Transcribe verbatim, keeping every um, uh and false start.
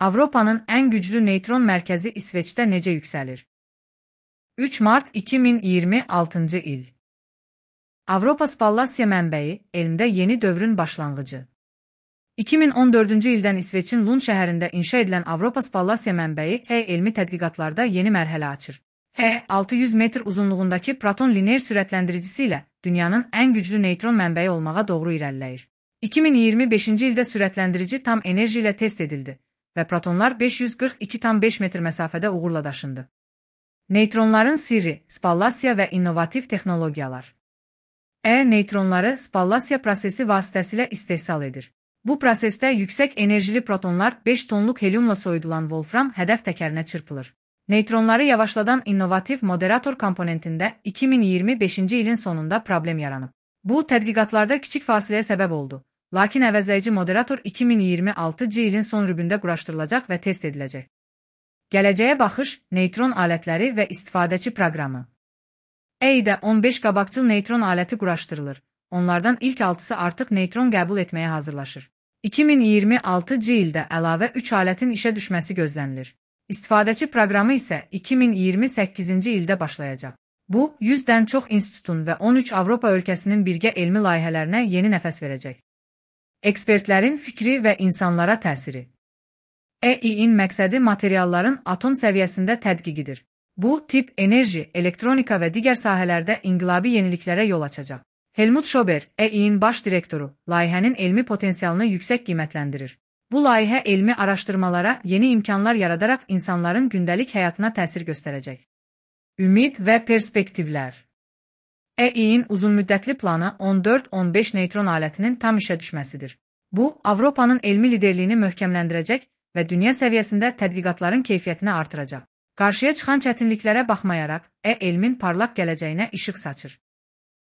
Avropanın ən güclü neytron mərkəzi İsveçdə necə yüksəlir? üç mart iki min iyirmi altıncı il. Avropa spallasiya mənbəyi, elmdə yeni dövrün başlanğıcı. iki min on dördüncü ildən İsveçin Lund şəhərində inşa edilən Avropa spallasiya mənbəyi H elmi tədqiqatlarda yeni mərhələ açır. H altı yüz metr uzunluğundakı proton lineer sürətləndiricisi ilə dünyanın ən güclü neytron mənbəyi olmağa doğru irəliləyir. iki min iyirmi beşinci ildə sürətləndirici tam enerji ilə test edildi və protonlar beş yüz qırx iki tam beş metr məsafədə uğurla daşındı. Neytronların sirri, spallasiya və innovativ texnologiyalar. E neytronları spallasiya prosesi vasitəsilə istehsal edir. Bu prosesdə yüksək enerjili protonlar beş tonluq helyumla soyudulan Wolfram hədəf təkərinə çırpılır. Neytronları yavaşladan innovativ moderator komponentində iki min iyirmi beşinci ilin sonunda problem yaranıb. Bu, tədqiqatlarda kiçik fasiləyə səbəb oldu. Lakin əvəzləyici moderator iki min iyirmi altıncı ilin son rübündə quraşdırılacaq və test ediləcək. Gələcəyə baxış, neytron alətləri və istifadəçi proqramı. E-də on beş qabaqcıl neytron aləti quraşdırılır. Onlardan ilk altısı artıq neytron qəbul etməyə hazırlaşır. iki min iyirmi altıncı ildə əlavə üç alətin işə düşməsi gözlənilir. İstifadəçi proqramı isə iki min iyirmi səkkizinci ildə başlayacaq. Bu, yüzdən çox institutun və on üç Avropa ölkəsinin birgə elmi layihələrinə yeni nəfəs verəcək. Ekspertlərin fikri və insanlara təsiri. E İ-in məqsədi materialların atom səviyyəsində tədqiqidir. Bu, tip, enerji, elektronika və digər sahələrdə inqilabi yeniliklərə yol açacaq. Helmut Schober, E İ-in baş direktoru, layihənin elmi potensialını yüksək qiymətləndirir. Bu layihə elmi araşdırmalara yeni imkanlar yaradaraq insanların gündəlik həyatına təsir göstərəcək. Ümid və perspektivlər. E İ-in uzunmüddətli planı on dörd on beş neytron alətinin tam işə düşməsidir. Bu, Avropanın elmi liderliyini möhkəmləndirəcək və dünya səviyyəsində tədqiqatların keyfiyyətini artıracaq. Qarşıya çıxan çətinliklərə baxmayaraq, E elmin parlaq gələcəyinə işıq saçır.